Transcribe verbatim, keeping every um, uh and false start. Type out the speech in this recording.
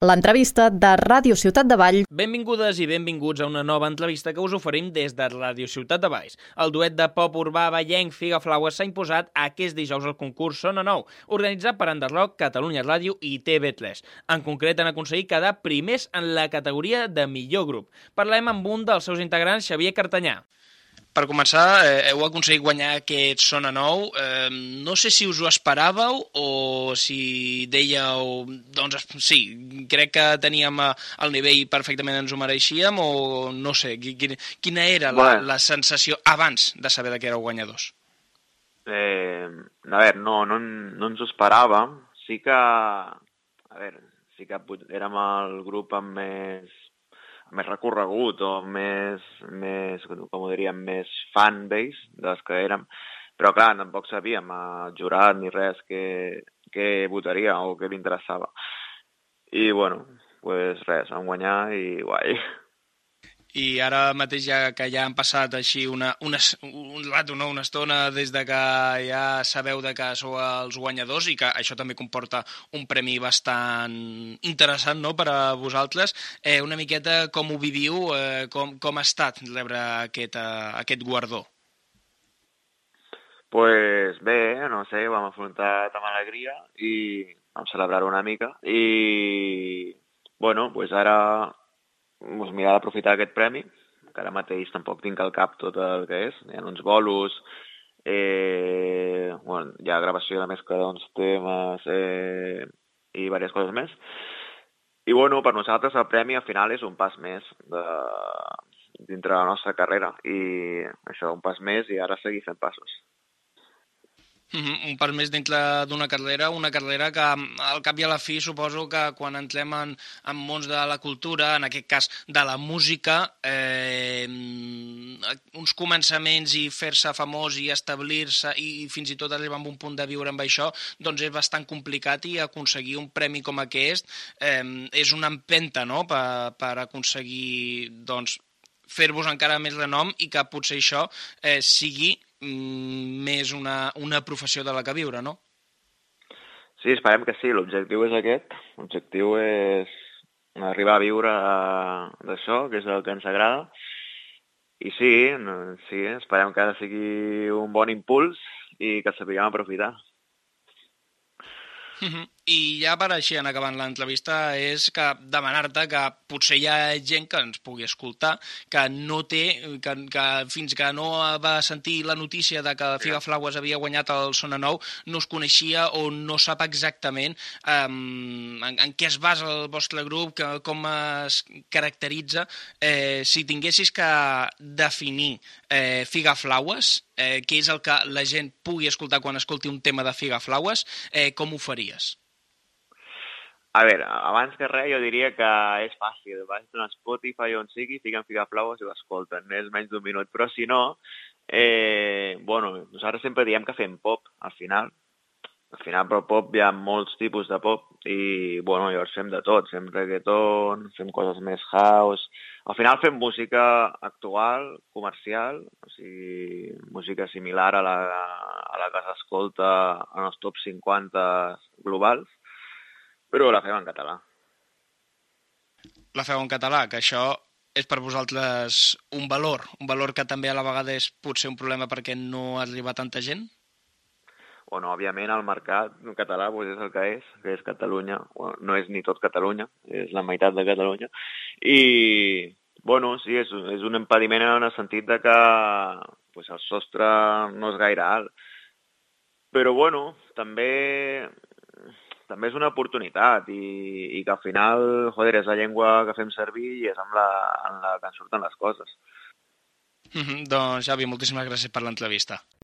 L'entrevista de Ràdio Ciutat de Valls. Benvingudes i benvinguts a una nova entrevista que us oferim des de Ràdio Ciutat de Valls. El duet de pop urbà vallenc Figaflaues s'ha imposat aquest dijous al concurs Sona Nou, organitzat per Underrock, Catalunya Ràdio i T V tres. En concret han aconseguit quedar primers en la categoria de millor grup. Parlem amb un dels seus integrants, Xavier Cartanyà. Per començar, eh, heu aconseguit guanyar aquest Sona Nou. Eh, no sé si us ho esperàveu o si dèieu, doncs sí, crec que teníem el nivell perfectament ens ho mereixíem, o no sé, quina era la, bueno. la sensació abans de saber que éreu guanyadors? Eh, a veure, no, no, no ens ho esperàvem. Sí que, a veure, sí que érem el grup amb més més recorregut o més, més, com ho diríem, més fanbase dels que érem, però clar, tampoc sabíem el jurat ni res que, que votaria o que li interessava. I bueno, pues res, vam guanyar i guai. I ara mateix, ja que ja han passat així una, una, un rato, no? una estona des de que ja sabeu de que sou els guanyadors i que això també comporta un premi bastant interessant, no?, per a vosaltres, eh, una miqueta com ho viviu, eh, com, com ha estat rebre aquest, eh, aquest guardó? Pues bé, no sé, ho vam afrontar amb alegria i vam celebrar una mica i bueno, pues ara doncs mirar d'aprofitar aquest premi, que ara mateix tampoc tinc al cap tot el que és. Hi ha uns bolos, eh, bueno, hi ha gravació de mescla d'uns temes eh, i diverses coses més. I bueno, per nosaltres el premi al final és un pas més de, dintre la nostra carrera i això, un pas més i ara seguir fent passos. Uh-huh. Un pas més dintre d'una carrera, una carrera que al cap i a la fi suposo que quan entrem en, en mons de la cultura, en aquest cas de la música, eh, uns començaments i fer-se famós i establir-se i fins i tot arribar a un punt de viure amb això, doncs és bastant complicat i aconseguir un premi com aquest eh, és una empenta, no?, per, per aconseguir doncs, fer-vos encara més renom i que potser això eh, sigui més una, una professió de la que viure, no? Sí, esperem que sí. L'objectiu és aquest. L'objectiu és arribar a viure d'això, que és el que ens agrada. I sí, sí, esperem que sigui un bon impuls i que sapiguem aprofitar. Uh-huh. I ja per així, en acabant l'entrevista, és que demanar-te que potser hi ha gent que ens pugui escoltar, que no té, que, que fins que no va sentir la notícia de que Figaflaues havia guanyat el Sona Nou, no es coneixia o no sap exactament um, en, en què es basa el vostre grup, que, com es caracteritza. Eh, si tinguessis que definir eh, Figaflaues, eh, què és el que la gent pugui escoltar quan escolti un tema de Figaflaues, eh, com ho faries? A veure, abans que res jo diria que és fàcil. Vas a Spotify on sigui, fiquen Figaflaues i ho escolten. És menys d'un minut. Però si no, eh, bueno, nosaltres sempre diem que fem pop, al final. Al final, però pop hi ha molts tipus de pop i, bueno, llavors fem de tot. Fem reggaeton, fem coses més house. Al final fem música actual, comercial, o sigui, música similar a la, a la que s'escolta en els top cinquanta globals, però la fem en català. La feu en català, que això és per vosaltres un valor, un valor que també a la vegada és potser un problema perquè no arriba tanta gent? Bueno, òbviament el mercat català pues, és el que és, que és Catalunya. Bueno, no és ni tot Catalunya, és la meitat de Catalunya. I, bueno, sí, és, és un impediment en el sentit de que pues, el sostre no és gaire alt. Però, bueno, també... també és una oportunitat i, i que al final, joder, és la llengua que fem servir i és amb la, amb la que ens surten les coses. Mm-hmm. Doncs, Xavi, moltíssimes gràcies per l'entrevista.